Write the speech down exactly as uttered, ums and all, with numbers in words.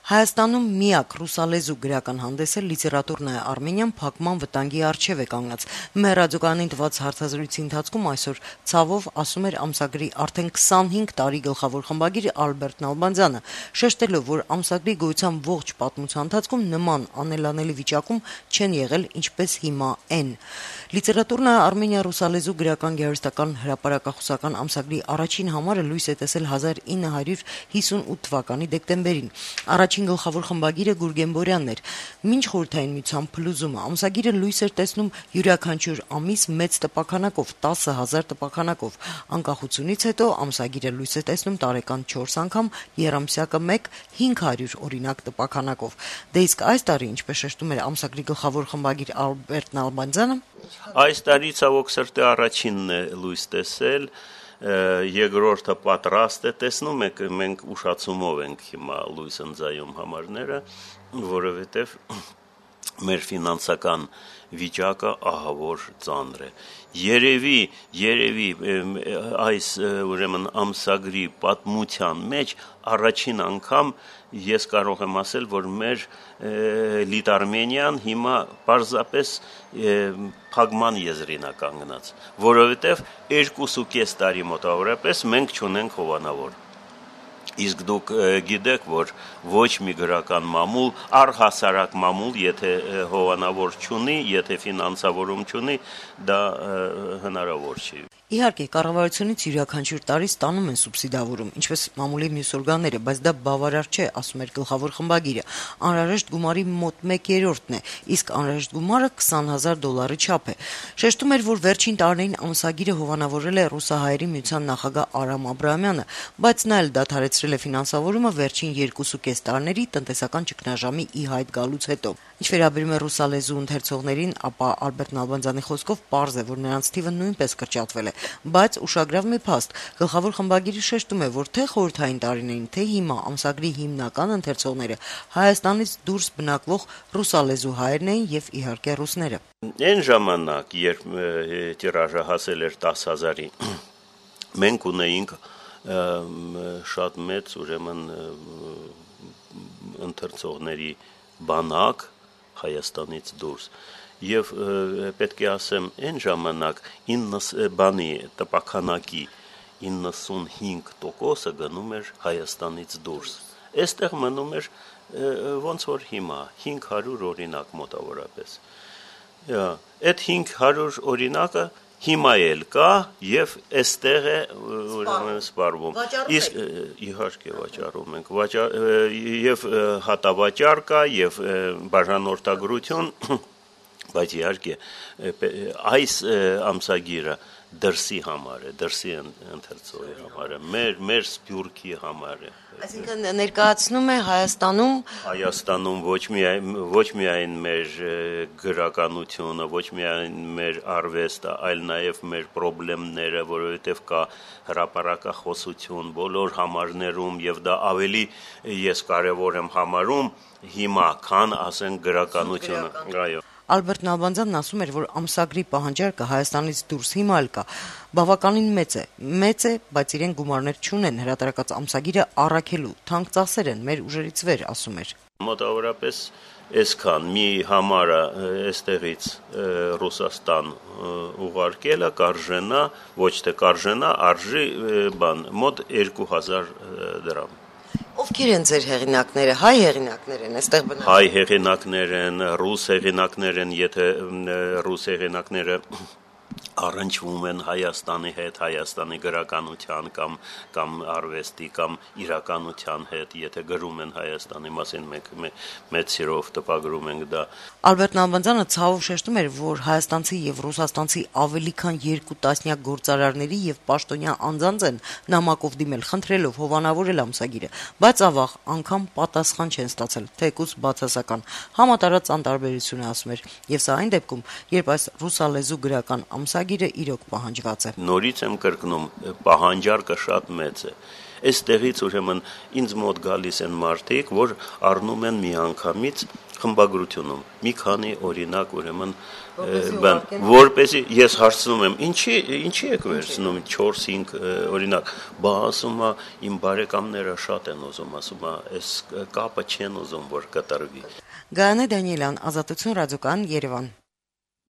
Հայաստանում միակ ռուսալեզու գրական հանդեսը լիտերատուրնայա Արմենիան փակման վտանգի առջև է կանգնած։ Մեր ռադիոկայանին տված հարցազրույցի ընթացքում այսօր ցավով ասում էր ամսագրի արդեն քսանհինգ տարի գլխավոր խմբագիր Ալբերտ Նալբանդյանը, շեշտելով, որ ամսագրի գոյության ողջ պատմության ընթացքում նման անելանելի վիճակում չեն եղել ինչպես հիմա են։ Լիտերատուրնայա Արմենիա ռուսալեզու գրական գեղարվեստական հրապարակախոսական ամսագրի առաջին համարը լույս է տեսել հազար ինը հարյուր հիսունութ թվականի դեկտեմբերին։ Առաջին գլխավոր խմբագիրը Գուրգեն Բորյանն էր։ Մինչ խորհրդային միության փլուզումը ամսագիրը լույս էր տեսնում յուրաքանչյուր ամիս մեծ տպաքանակով, տասը հազար տպաքանակով։ Անկախությունից հետո ամսագիրը լույս է տեսնում տարեկան չորս անգամ, եռամսյակը մեկ հինգ հարյուր օրինակ տպաքանակով։ Դե իսկ այս տարի, ինչպես շեշտում էր ամսագրի գլխավոր խմբագիր Ալբերտ Նալբանդյանը, այս տարի ցավոք սրտի առաջինն է լույս տեսել, երկրորդը պատրաստ է, տեսնում եք, մենք ուշացումով ենք հիմա լույս ընծայում համարները, որովհետև մեր ֆինանսական վիճակը ահավոր ծանր է։ Երևի, երևի այս ուրեմն ամսագրի պատմության մեջ առաջին անգամ ես կարող եմ ասել, որ մեր Լիտարմենիան հիմա պարզապես փակման եզրին է կանգնած, որովհետև երկուսուկես տարի մոտավորապես մենք չունենք հովանավոր։ Իսկ դուք գիտեք, որ ոչ մի գրական մամուլ, առհասարակ մամուլ, եթե հովանավոր չունի, եթե ֆինանսավորում չունի, դա հնարավոր չի։ Իհարկե, կառավարությունից յուրաքանչյուր տարի ստանում են սուբսիդավորում, ինչպես մամուլի մյուս օրգանները, բայց դա բավարար չէ, ասում էր գլխավոր խմբագիրը։ Անհրաժեշտ գումարի մոտ մեկ երրորդն է, իսկ անհրաժեշտ գումարը քսան հազար դոլարի չափ է։ Շեշտում էր, որ վերջին տարիներին ամսագիրը հովանավորել է ռուսահայերի միության նախագահ Արամ Աբրահամյանը, բայց նա էլ դադարեցրել է ֆինանսավորումը վերջին երկուսուկես տարիների տնտեսական ճգնաժամի ի հայտ գալուց հետո։ Ինչ վերաբերում է ռուսալեզու ընթերցողներին, ապա Ալբերտ Նալբանդյանի խոսքով պարզ է, որ նրանց թիվը նույնպես կրճատվել է, բայց ուշագրավ մի փաստ։ Գլխավոր խմբագիրը շեշտում է, որ թե խորհրդային տարիներին, թե հիմա ամսագրի հիմնական ընթերցողները Հայաստանից դուրս բնակվող ռուսալեզու հայերն էին եւ իհարկե ռուսները։ Այն ժամանակ, երբ տիրաժը հասել էր տասը հազարի, մենք ունեինք շատ մեծ ուրեմն ընթերցողների բանակ Հայաստանից դուրս։ Եվ պետք է ասեմ, այն ժամանակ բանի տպաքանակի իննսունհինգ տոկոսը գնում էր Հայաստանից դուրս։ Այստեղ մնում էր ոնց որ հիմա հինգ հարյուր օրինակ մոտավորապես։ Այդ հինգ հարյուր օրինակը հիմա էլ կա եւ այստեղ է ուրեմն սպառվում։ Իսկ իհարկե վաճառում ենք, եւ հատավաճառ կա եւ բաժանորդագրություն, բայց իհարկե այս ամսագիրը դրսի համար է, դրսի ընթերցողի համար է, մեր մեր սփյուռքի համար է։ Այսինքն ներկայացնում է Հայաստանում Հայաստանում ոչ միայն ոչ միայն մեր գրականությունը, ոչ միայն մեր արվեստը, այլ նաև մեր խնդիրները, որովհետև կա հրապարակախոսություն բոլոր համարներում եւ դա ավելի ես կարեւոր եմ համարում հիմա, քան ասենք գրականությունը։ Այո։ Ալբերտ Նալբանդյանն ասում էր, որ ամսագրի պահանջարկը Հայաստանից դուրս հիմա էլ կա, բավականին մեծ է, մեծ է, բայց իրեն գումարներ չունեն, հրատարակած ամսագիրը առաքելու, թանկ ծախսեր են, մեր ուժերից վեր, ասում էր։ Մոտավորապես այսքան մի համարը այստեղից Ռուսաստան ուղարկելը կարժենա, ոչ թե կարժենա, արժի բան, մոտ երկու հազար դրամ։ Ովքեր են ձեր հեղինակները, հայ հեղինակներ են, այստեղ բնակվում։ Հայ հեղինակներ են, ռուս հեղինակներ են, եթե ռուս հեղինակները առնչվում են Հայաստանի հետ, Հայաստանի գրականության կամ կամ արվեստի կամ իրականության հետ, եթե գրում են Հայաստանի մասին, մենք մեծ սիրով տպագրում ենք դա։ Ալբերտ Նալբանդյանը ցավով շեշտում էր, որ հայաստանցի եւ ռուսաստանցի ավելի քան երկու տասնյակ գործարարների եւ պաշտոնյա անձանց են նամակով դիմել, խնդրելով հովանավորել ամսագիրը, բայց ավաղ անգամ պատասխան չեն ստացել, թեկուզ բացասական։ Համատարած անտարբերություն է, ասում էր, եւ սա այն դեպքում, երբ այս ռուսալեզու գրական ամսագիրը իրոք պահանջված է։ Նորից եմ կրկնում, պահանջարկը շատ մեծ է։ Այստեղից ուրեմն ինձ մոտ գալիս են մարդիկ, որ առնում են միանգամից խմբագրությունում մի քանի օրինակ ուրեմն բան, որպեսզի ես հարցնում եմ, ինչի ինչի եք վերցնում չորս-հինգ օրինակ, բա ասում է իմ բարեկամները շատ են ուզում, ասում է, այս կապը չեն ուզում որ կատարվի։ Գայանե Դանիելյան, Ազատություն ռադիոկայան, Երևան։